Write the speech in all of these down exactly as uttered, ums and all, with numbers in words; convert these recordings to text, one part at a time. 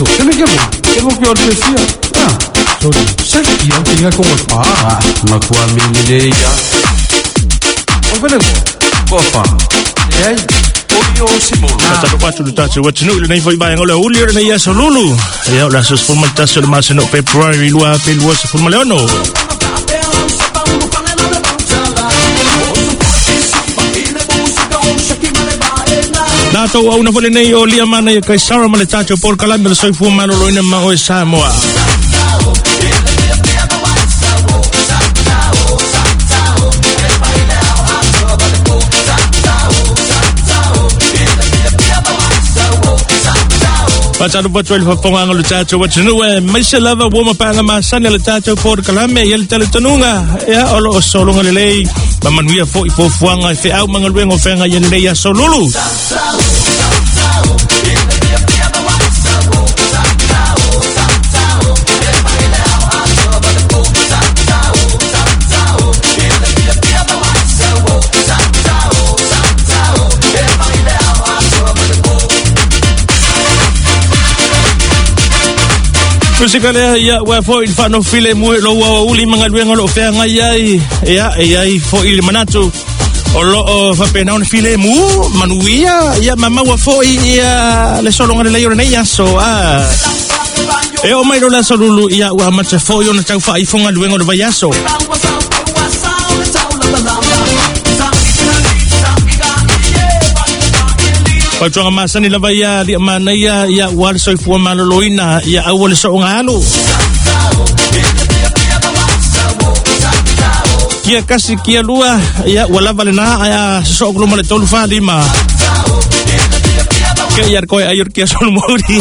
Ce n'est que moi. Que moi qui ai le Ah, sorry. Sai kia tinga ko pa. Ah, matua mele ia. O vele ko. Kofa. Ei. O yo si mo. Tata patu le tātou atunuu i lenei foi vaega o le aoauli o lenei aso lulu. Ia o le aso sefulu ma le tasi o le masina o February lua afe lua sefulu ma le ono. Nā tau auna foi lenei o lia mana ia Kaisara ma le tātou polokalame le soifua maloloina ma oe Samoa. Patalo patu le fafonga le tātou atunuu e maise lava ua mapanga masani le tātou polokalame ia le talitonuga ia o loo sologa lelei ma manuia fo'i fuafuaga e fe'au magaluega o feaga ia lelei aso lulu. Musika lea ia ua fo'i le fa'anofile mu e lou auauli magaluega o lo'o feagai ai ia e ai fo'i le manatu o loo faapena ona filemu manuia ia mamaua fo'i ia le sologa lelei o lenei aso a e oo mai lo le aso lulu ia ua amata fo'i ona tau fa'aifogaluega o le vaiaso. Fautuaga masani lava ia lia manaia ia ua le soifua maloloina ia aua le so'oga alu. Kia kasi kia lua ia ua lava lenā ae a soso'o kuluma le tolu fa lima. Ke ia koe ai o kia solomori.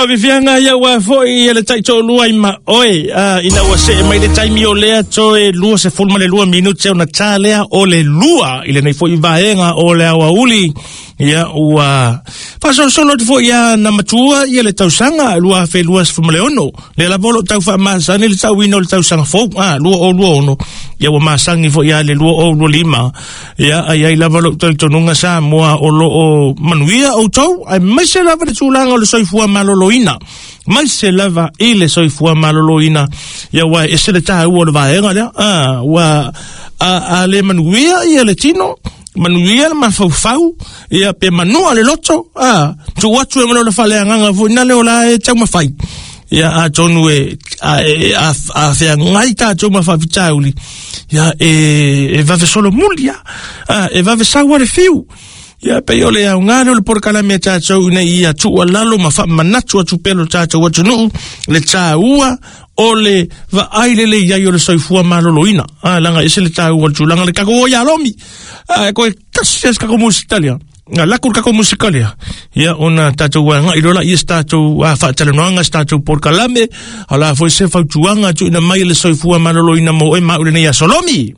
Favivianga ia ua fo'i ia le ta'ito'olua i ma oe ina ua se'e mai le taimi o lea toe lua sefulu ma le lua minute ona tā lea o le lua i lenei fo'i vaega o le aoauli ia ua faasolosolo atu fo'i ia na matua ia le tausaga lua afe lua sefulu ma le ono lea lava o lo'o tau faamasani le ta'uina o le tausaga fou a lua o lua ono ia ua masagi fo'i ia le lua o lua lima ia ai ai lava lo'u talitonuga Samoa o loo manuia outou ae maise lava le tulaga o le soifua maloloina maise lava i le soifua maloloina ia ua ese le tāua o le vaega lea a ua a, a le manuia ia le tino manuia le mafaufau ia pe manua le loto a tuu atu e ma le faleagaga fo'i na le o la e taumafai ia atonu e a e a, a feagai tatou ma faafitauli ia e e vave solomuli a e vave saua le fiu ia pe o le aoga lea o le polokalame a tatou ina ia tuualalo ma faamanatu atu pea lo tatou atunuu le tāua o le vaai lelei ai o le soifua maloloina a laga ese le tāua o le tulaga le kako o ia lomi a koe kasi se kako musitalia nga laku le kako musikalia ia ona tatou aga'i loa laia se tatou faatalanoaga se tatou polokalame o la foi se fautuaga tuuina mai le soifua maloloina mo oe ma au lenei aso lomi.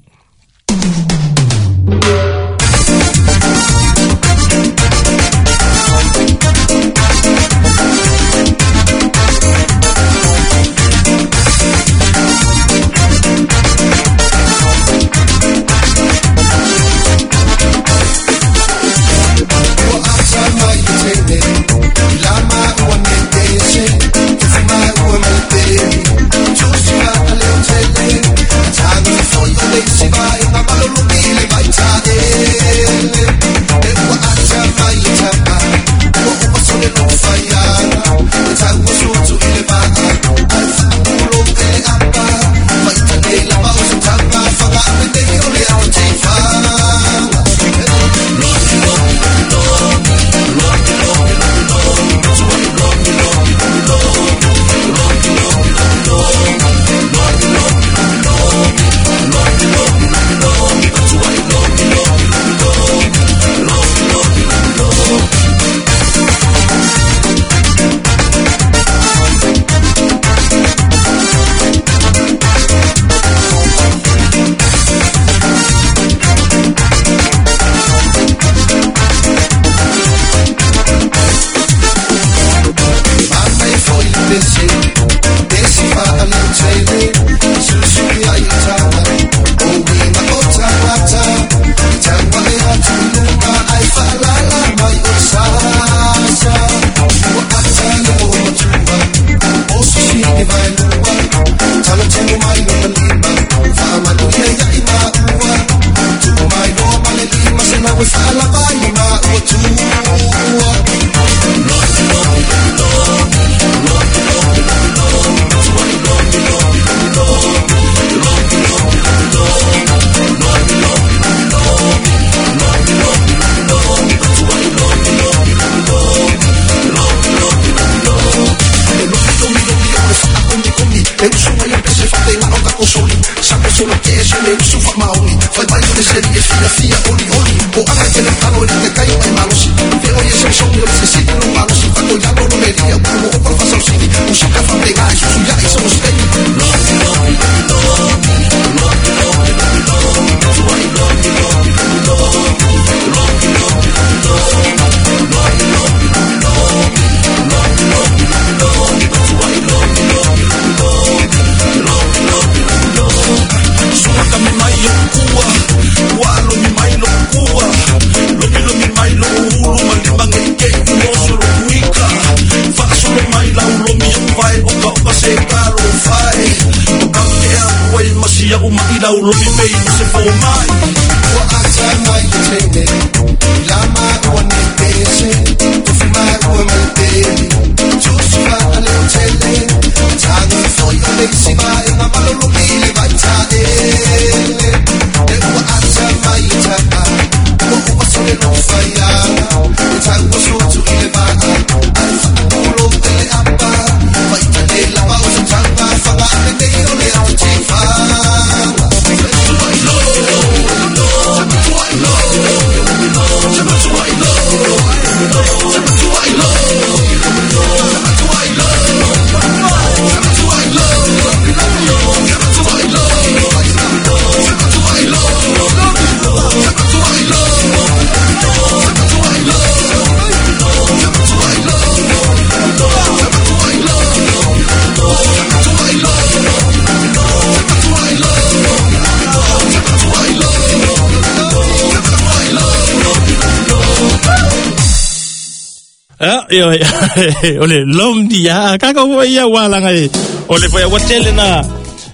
O le lom dia ka ko ia wala ngai o le foi wa na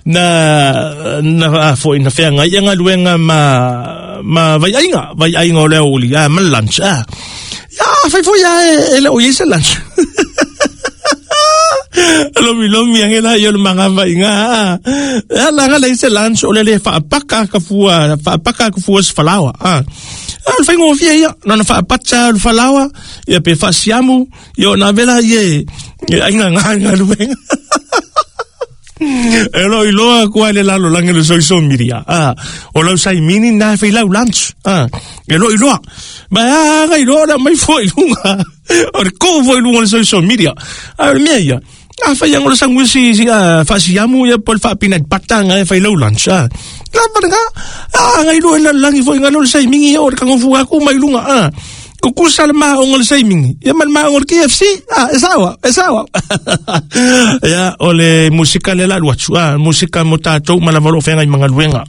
na na foi na fea ngai nga luenga ma ma vai ainga vai ainga o le oli a ma lunch a ya foi foi ya ele o yese lunch lo mi lo mi angela yo le manga vai nga a la nga le se lunch o le le fa paka ka fua fa paka ka fua falawa a al fai ngo fia ia na fa pacha al falawa ia pe fa siamu yo na vela ye ainga nga nga luenga Elo iloa kua le lalo lange le soiso miria. Ah, o lau sai mini na fai lau lunch. Ah, elo iloa. Ba nga iloa na mai foi lunga. O le ko foi lunga le soiso miria. Ah, le mea ia. Ah, fai ang o le sanguisi si ah, fa siamu ia pol fa peanut butter nga fai lau lunch. Ah, la pa nga. Ah, nga iloa la langi foi nga lo sai mingi o le kangofu aku mai lunga. Ah, Kukusa le maonga le saimingi ia ma le maonga le K F C ah e sawa e sawa ia o le musika le la luatu ah musika mo tatou ma lava lo fenga i mangaluenga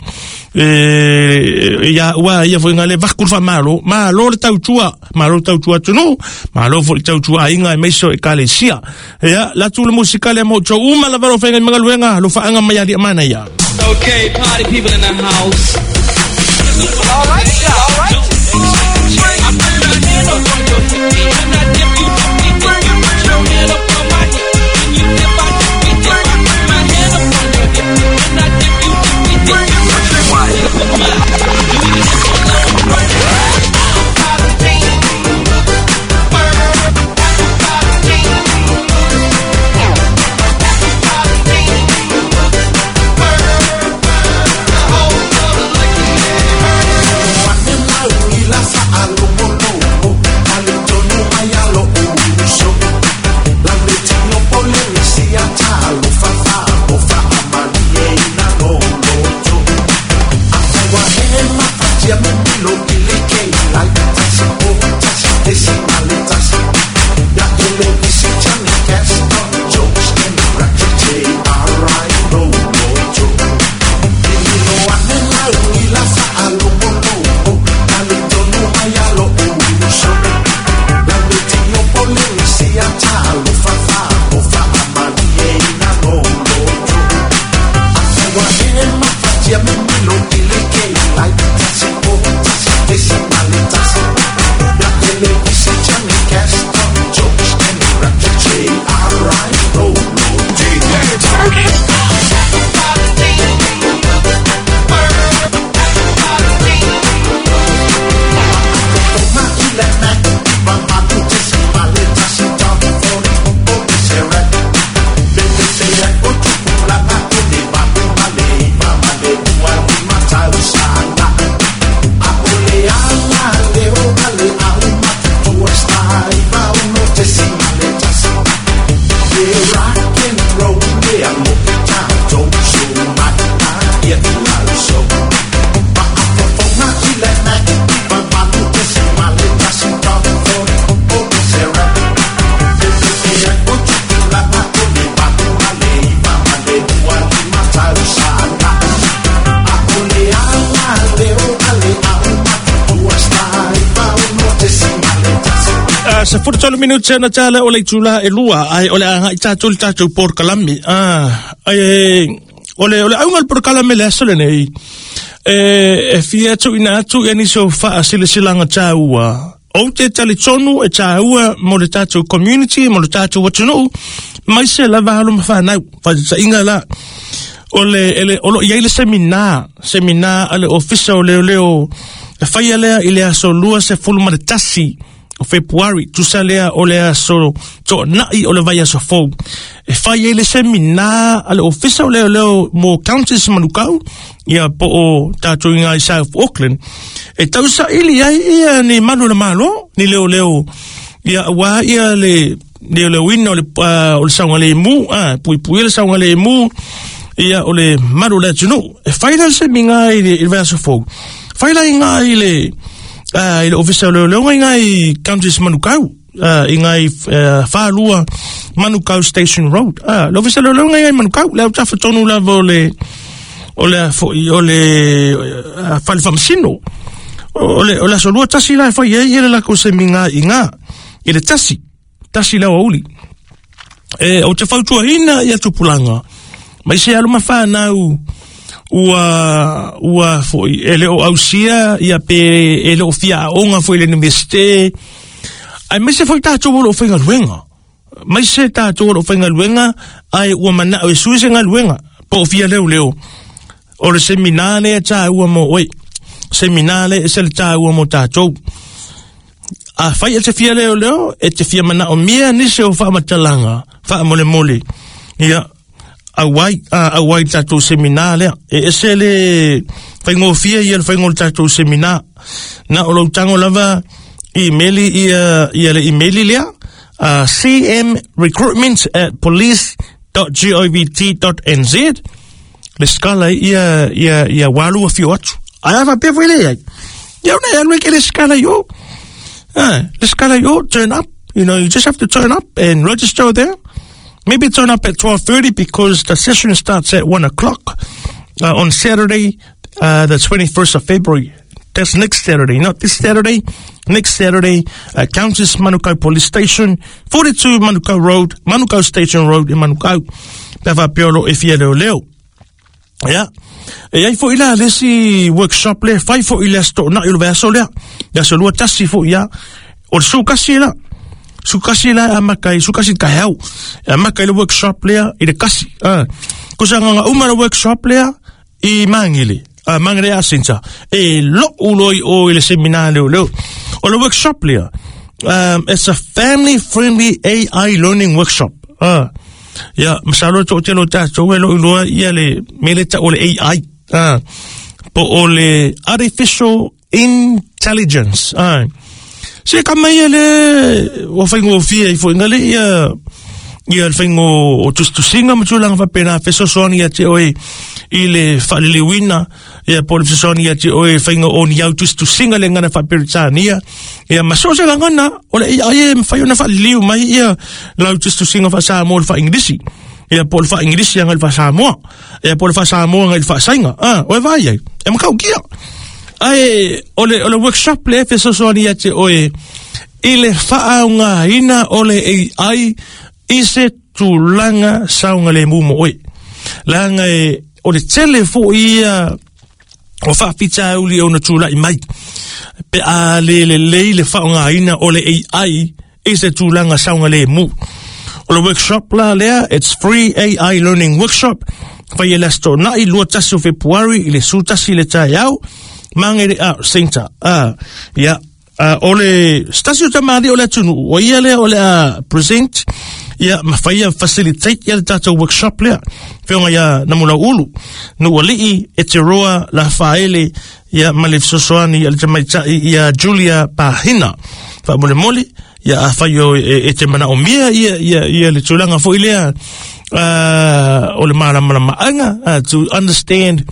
e ia ua ia foi ngale vakul fa malo malo le tautua malo tautua tunu malo foi tautua inga e meiso e kalesia ia la tu le musika le mo tau uma lava lo fenga i mangaluenga lo faanga mai ali mana ia. Okay, party people in the house. All right, all right. Se furu minuti na tala o le tula e lua ai o le anga i tatou le tatou porkalami ah ai o le o le aunga le porkalami le aso lenei e e fia tu ina atu e ni so fa silasilanga taua o te talitonu e taua mo le tatou community mo le tatou atunuu mai se lava alo ma whanau fa inga la o le ele o lo ia le seminar seminar ale ofisa o leo leo e whaia lea i le aso lua se fulu ma le tasi o February, tusa lea o le aso to nai o le vai aso fou. E whai e le seminar ale ofisa o leo leo mo counties Manukau, ia po o tātou inga i South Auckland. E tausa ili ai ia ni manu le malo, ni leo leo, ia wā ia le leo leo ina o le, uh, o le saunga le mu, ah, pui pui le saunga le mu, ia o le malu le atunu. E whai le seminar i le, i le vai aso fou. Whai la inga i le Ah, i le ofisa o leo leo ngai i counties Manukau, ah, i ngai uh, whālua Manukau Station Road. Ah, le ofisa o leo leo ngai Manukau, le au tafa tonu lava o le, o le, o le, uh, whale whamasino. O le, o le aso lua tasi la e whai e i le lako se minga i ngā, i le tasi, tasi lau auli. E, o te whautua hina i atupulanga, mai se alu mawhanau, ua ua foi ele o ausia ia pe ele o fia onga foi le universite ai mai se foi tatou o fai galuenga mai se tatou o fai galuenga ai ua mana o sui se galuenga po fia leo leo o le seminar le ta ua mo oi seminar le se le ta ua mo tatou a fai e te fia leo leo e te fia mana o mia ni se o fa matalanga fa mole mole ia awai awai tatou seminar lea e ese le faigofia ia le faiga o le tatou seminar na o lou tago lava emaili ia ia le emaili lea uh, cmrecruitment at police dot govt dot n z le skala ia ia ia walu afio atu ai afa pea foi le ai ia ona e alu e ke le skala i o Ah, let's go, turn up. You know, you just have to turn up and register there. Maybe turn up at twelve thirty because the session starts at one o'clock uh, on Saturday, uh, the twenty-first of February. That's next Saturday, not this Saturday. Next Saturday at Countess Manukau Police Station, forty-two Manukau Road, Manukau Station Road in Manukau. Pe whaapea e fia leo leo. Ia. E ai fo'i la le isi workshop le, fai fo'i le aso to'ona'i o le vaiaso lea. Le aso lua tasi fo'i ia. O le sukasi la. Sukasi la amata i sukasi taeao. E amata i le workshop lea i le kasi. Ah. Kusa nganga uma le workshop lea i Mangere. Ah, Mangere Art Center. E lo'u loi o i le seminar leo leo. O le workshop lea. Um, it's a family-friendly A I learning workshop. Ah. Ia, masalo to'atele o tatou e lo'u iloa ia le mea le ta'u o le A I. Ah. Po o le Artificial Intelligence. Ah. Se ka mai le o faigofie i fo'iga le ia ia le faiga o tusitusiga ma tulaga faapena fesoasoani ia te oe i le faaliliuina ia po o le fesoasoani ia te oe faiga o ni au tusitusiga le gana faaperitania ia ma so se lagona o le A I e mafai ona faaliliu mai ia lau tusitusiga faasamoa le faaingilisi ia po o le faaingilisi aga i le faasamoa ia po o le faasamoa aga i le faasaiga ah o e vaai ai e makaukia. Ae o le o le workshop le fesoasoani ia te oe i le faaaogāina o le A I i se tulaga saogalemu mo oe. Leaga e o le tele fo'i ia o faafitauli ona tula'i mai pe a le lelei le faaaogāina o le A I i se tulaga saogalemu. O le workshop la lea, it's free A I learning workshop. Fai e le aso to'ona'i lua tasi o Fepuari i le sutasi le taeao Mangere Art Center. Ah, ia, uh, o le stasi o tamali o le atunu'u o ia lea o le a present ia ma faia facilitate ia le tatou workshop lea feoga ia Namulau Ulu Nuuali'i e te roa la faele ia ma le fesoasoani a le tamaita'i ia Julia Pahina faamolemole ia afai o e, e te manaomia ia, ia, ia le tulaga fo'i lea uh, o le malamalama'aga uh, to understand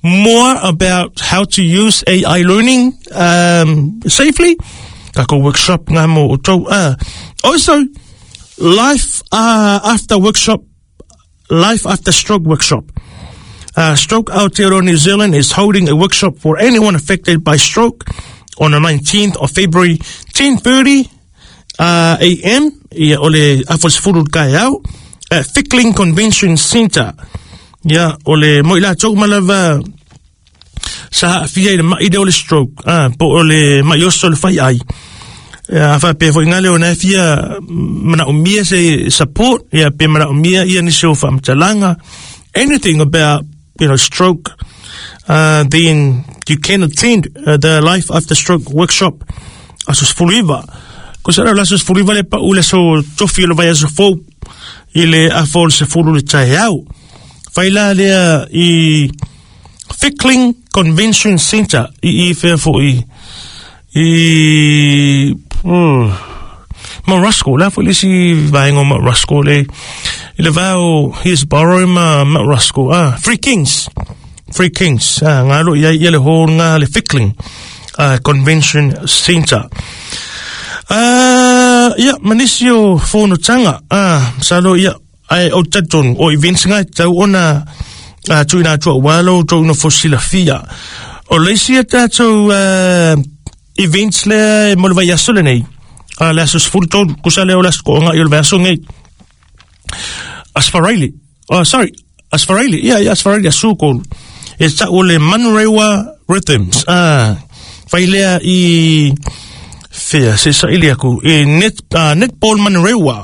more about how to use A I learning um, safely. Kako workshop ngā mo o tau. Uh, also, life uh, after workshop, life after stroke workshop. Uh, Stroke Aotearoa New Zealand is holding a workshop for anyone affected by stroke on the nineteenth of February, ten thirty uh, A M ia o le afa sefulu le au at Fickling Convention Centre. Ia o le moi la tau malava sa haafia i le ma'i lea o le stroke. Ah, po o le ma'i oso le fai ai. Ia faapea fo'i gale ona e fia manaomia se support, ia pe manaomia ia nisi o faamatalaga, anything about, you know, stroke, uh, then you can attend uh, the Life After Stroke workshop aso sefulu iva. Ko sa le aso sefulu iva le pa'u le aso tofi o le vai aso fou i le afa o le sefulu le taeao. Fai la lea i Fickling Convention Centre i i fea fo'i i oh, Mount Roskill la fo'i le isi vaega o Mount Roskill le i le vao Hillsborough ma Mount Roskill. Ah, Three Kings Three Kings ah, ngā lo ia ia le hall ngā le Fickling uh, Convention Centre. Uh, ia, manisi o whonotanga. Ah, salo ia, ai o tatonu, o events ngai tau ona uh, tuina atua walo, tau una fosilafia. O leisi a tātou uh, events lea mo le vaiaso lenei. Uh, le aso sefulu tolu, kusa lea o le aso ko'oga i o le vaiaso nei. Asfaraili. Oh, sorry, Asfaraili. Ia, ia, Asfaraili asu kolu. E tau o le Manurewa Rhythms. Ah, fai lea i fea, se saili aku, e net, uh, netball Manurewa.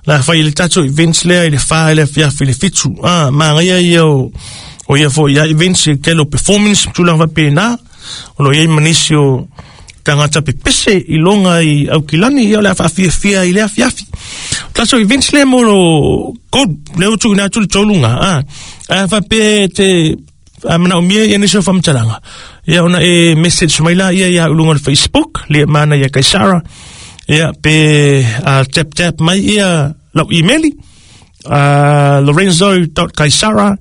La fai le tatou events lea i le wha, i le fiafi, i le fitu. Ah, maangaia ia o, o ia fo ia events i tele o performance, tulaga faapena. O lo iai manisi o tagata pepese i loga i Aukilani, ia o le a faafiafia i le afiafi. Tatou events lea mo lo kolu, lea o tuuina atu le toluga. Ah, a faapea te a manaomia ia nisi o faamatalaga. Ia ona e message mai la ia ia uluga o le Facebook, le mana ia Kaisara. Ia pe uh, tap tap mai ia lau email uh, lorenzo dot kaisara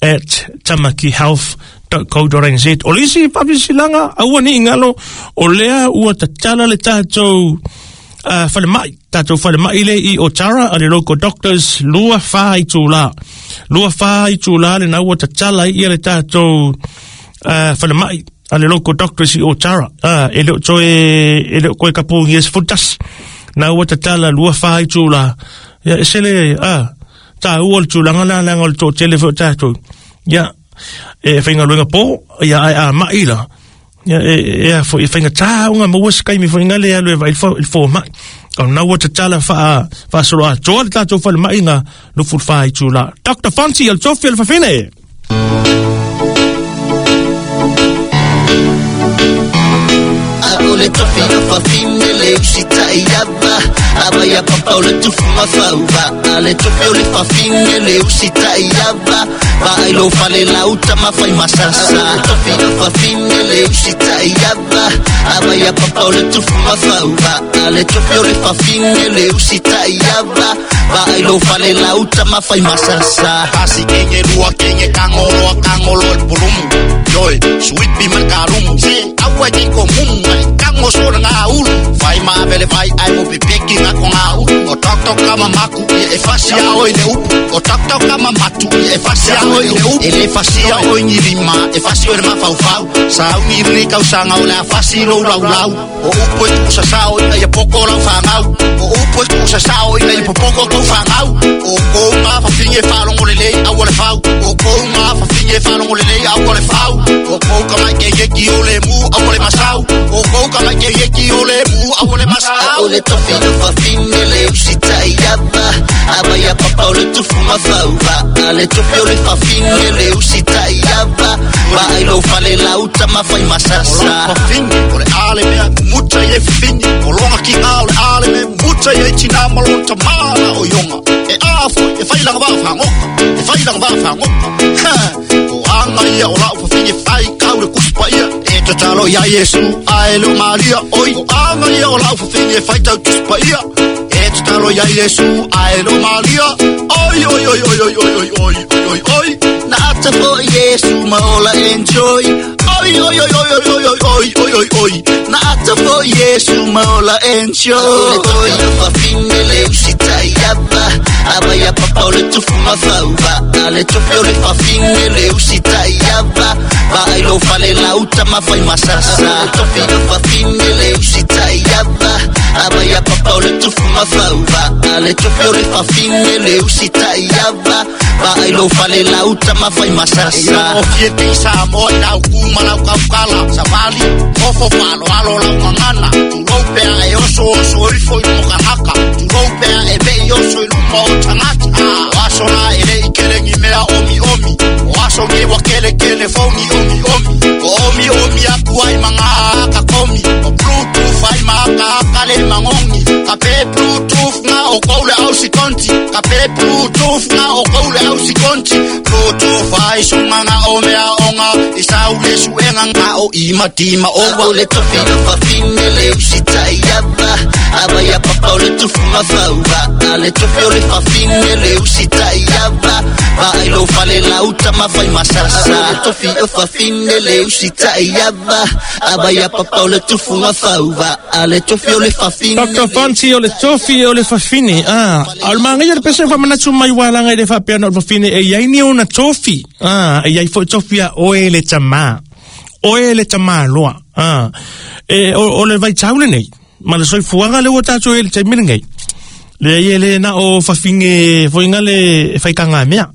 at tamakihealth dot co dot n z. O le isi faasilasilaga aua nei galo o lea ua tatala le tatou uh, falemai tatou falemai le i Otara a le local doctors lua fa itula lua fa itula le na ua tatala ia le tatou uh, falemai a le local doctors i Otara. Uh, e leo toe e leo koe kapungi e se futasi na ua tatala lua fa itula ia e sele ah ta ua le tulaga la laga o le toatele foi o tatou ia e faigaluega po ia ae a ma'i la ia e e foi e faigatā uga maua se kaimi foiga le alu e vaai le foma'i o na ua tatala faa faasolo atoa le tatou falema'iga lufulufā itulā. Doctor Fonsi o le tofi o le fafine. O le tofi o fafine le usitai ava ava ia papa o le tufu mafauva. A le tofi o le fafine le usitai ava vaai lo fale lauta mafai masasa. O le tofi o fafine le usitai ava ava ia papa o le tufu mafauva. A le tofi o le fafine le usitai ava vaai lo fale lauta mafai masasa. Kasi kenge lua kenge kangolo kangolo el pulumu yoi sweet man karumu se awa ki ko mumu kango sora ngā ulu fai mā vele fai ai mo pipeki ngā ko ngā ulu o tok tok kama maku i e fasi a oi le upu o tok tok kama matu i e fasi a oi le upu e le fasi a oi ni rima e fasi oi le mafaufau sa au ni rini kausanga o le a fasi lo lau lau o upu e tukusa sao i ia poko lau whangau o upu e tukusa sao i ia popoko kou whangau o kou ngā whawhinge whalongo le lei au o le whau o kou ngā whawhinge whalongo le lei au o le whau o kou kamai ke yeki o le mu au o le masau o kou kamai ke yeki o le mu au o le masau. O le tofi o fafine le usitai ava ava ia papa o le tufu mafauva. A le tofi o le fafine le usitai ava vaai lo fale lauta mafai masasa. O le fafine o le ale mea muta i e fafine o longa ki ngā o le ale mea muta i e tina malon tamana o ionga e a foi e whai langa waa whangoka e whai langa waa whangoka o anga ia o lau fafine whai kau le kuspa ia e tatalo ia Yesu ae le Maria oi o anga ia o lau fafine whai tau tuspa ia e tatalo ia Yesu ae le Maria oi oi oi oi oi oi oi oi oi na ata fo Yesu maola enjoy oi oi oi oi oi oi oi oi oi oi na ata fo Yesu maola enjoy. O le tofi o fafine le usitai ava ava ia papa o le tufu mafauva. A le tofi o le fafine le usitai ava vaai lo fale lauta mafai masasa. O le tofi o fafine le usitai ava ava ia papa o le tufu mafauva. A le tofi o le fafine le usitai ava vaai lo fale lauta mafai masasa. O fiete i Samoa i lau kuma lau kaukala savali mofo falo alo lau mangana tulou pea e oso oso ifo i mokanaka tulou pea e vei oso i luma o tangata o aso na e le i kerengi mea omi omi o aso nge wa kele kele fongi omi omi o omi omi aku ai manga aka komi o bluetooth ai maka aka le mangongi ka pe bluetooth nga o koule au sikonti ka pe bluetooth nga o koule au sikonti bluetooth ai sunga nga o mea onga i sau le suenga nga o ima tima owa. O le tofi o fafine le usitai ava ava ia papa o le tufu mafauva. A le tofi o le fafine le usitai ava vaai lo fale lauta mafai masasa. O le tofi o fafine le usitai ava ava ia papa o le tufu mafauva. A le tofi o le fafine Doctor Fonsi o le tofi o le fafine. Ah, o le magai le pese fa manatu mai walanga i le faapea o le fafine e iai ni ona tofi. Ah, e iai foi tofi a oe le tamā oe le tamā loa. Ah, e o, o le vaitau lenei ma le soifuaga le ua tatou e le taimi lenei le ia le na o fafine foiga le faikaga mea.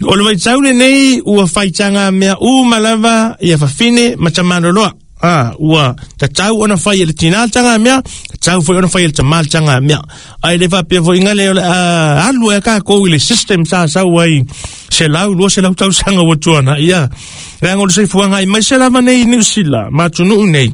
O le vaitau lenei ua faitaga mea uma lava ia fafine ma tamaloloa. Ah, ua tatau ona fai e le tina tanga mea, tatau foi ona fai e le tamā tanga mea. Ai le faapea foiga le o le alu e kākou i le system sa sau ai se lau, lua se lau tausaga ua tuana. Ia, leaga o le soifuaga ai mai se lava nei i Niu Sila, ma atunuu nei.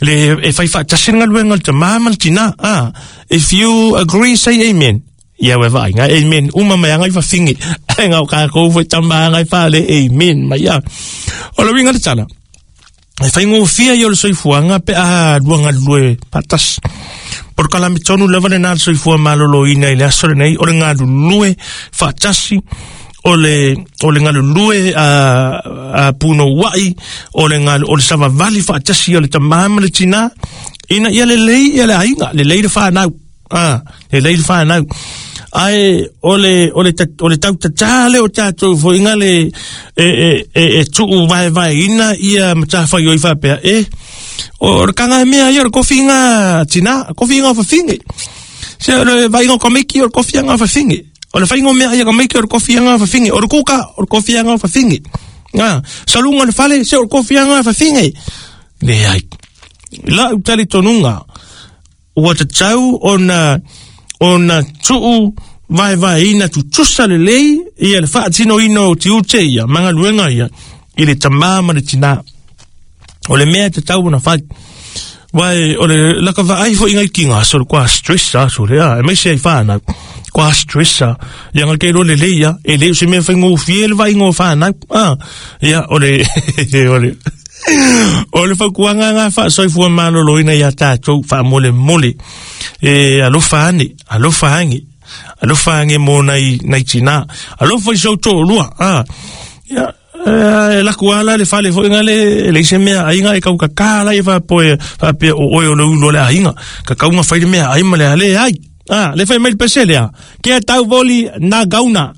Le e fai faatasi le galuega o le tamā ma le tina. Ah, if you agree, say amen. Ia ua vaaiga amen uma mai aga i fafine. Ai ngau kākou foi tamā aga i faale amen mai ia. O le uiga le tala. E whaingofia i o le soifuaga pe a lua galulue paatasi. Po le kalamitonu lava lenā le soifua malōlōina i le aso lenei o le galulue faatasi o le o le galulue a a punouai o le galu o le savavali faatasi o le tamā ma le tinā ina ia lelei ia le aiga lelei le fanau a lelei le fanau ai o le o le o le tautatā le o tatou foiga le e e e e tuu vaevaeina ia matafaioi faapea e o le kaga mea ia o le kofiga tinā kofiga o fafine se o le vaiga o komiki o le kofiaga o fafine o le faiga o mea ia komiki o le kofiaga o fafine o le kuka o le kofiaga o fafine a saluga o le fale se o le kofiaga o fafine leai lau talitonuga ua tatau ona ona tuu vaevaeina tutusa lelei ia le faatinoina o tiute ia ma galuega ia i le tamā ma le tinā o le mea e tatau ona fai vai o le laka vaai foʻiga i kiga aso le koa stress aso lea e maise ai fanau koa stress ia ga ke lo lelei ia e le o se mea faigofie le vaaiga o fanau a ia o le o le o le fautuaga ga faasoifua malōlōina iā tatou faamolemole e alofa ane alofa age alofa age mo nai nai tinā alofa i sou toʻalua a ia e laku ala le fale foʻiga le leai se mea aiga e kaukakā lai faapoe faapea o oe o le ulu o le aiga kakauga fai le mea ai ma le ale ai a le fai mai le pese lea ke tau voli na gauna.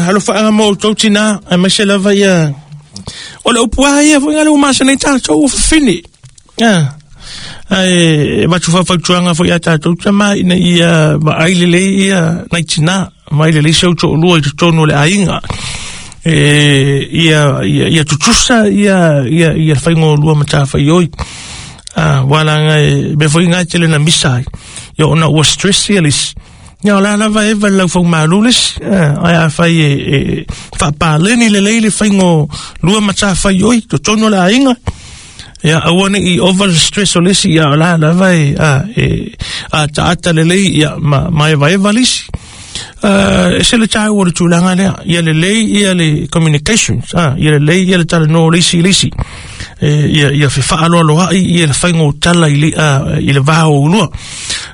Alofa mo outou tinā aemaise lava ia o le upu a ia foʻiga le ua masanai tatou ua fafine a ae matu faafautuaga foʻi a tatou tamā ina ia vaai lelei ia nai tinā vaai lelei se ou toʻalua i totonu o le aiga e ia ia ia tutusa ia ia ia le faiga o lua matafaioi a ualaga e mea foʻiga e tele na misa ai ia ona ua stress ia le isi ia o la lava e va lau faumalū le isi ae afai e e faapaleni lelei le faiga o lua matafaioi totonu o le aiga ia aua neʻi ova le stress o le isi ia o la lava e a e ataata lelei ia ma ma evaeva le isi e se le tāua o le tulaga lea ia lelei ia le communications a ia lelei ia le talanoa o le isi i le isi e ia ia fefaaloaloaʻi ia le faiga o tala i le a i le va o ulua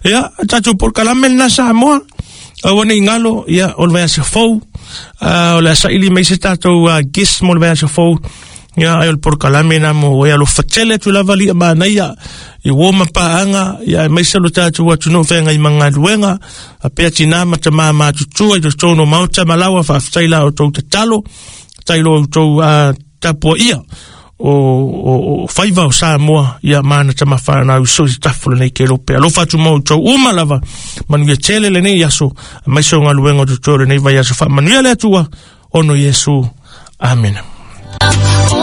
ia tatou polokalame lena Samoa aua neʻi galo ia o le vaiaso fou o le asaili mai se tatou guest mo le vaiaso fou ia ai o le polokalame na mo e alofa tele atu lava liʻa manaia i uō ma paaga ia aemaise lo tatou atunuu feagai ma galuega apea tinā ma tamā matutua i totonu o maota ma laua faafetai la outou tatalo tai lo outou tapuaʻia o o o faiva o Samoa ia mana tama whanau so i tafu lenei ke lope. Alofa atu mo tau uma lava manuia tele lenei aso mai so ngaluenga o toto lenei vai aso fa manuia le atua ono Yesu. Amen. Oh,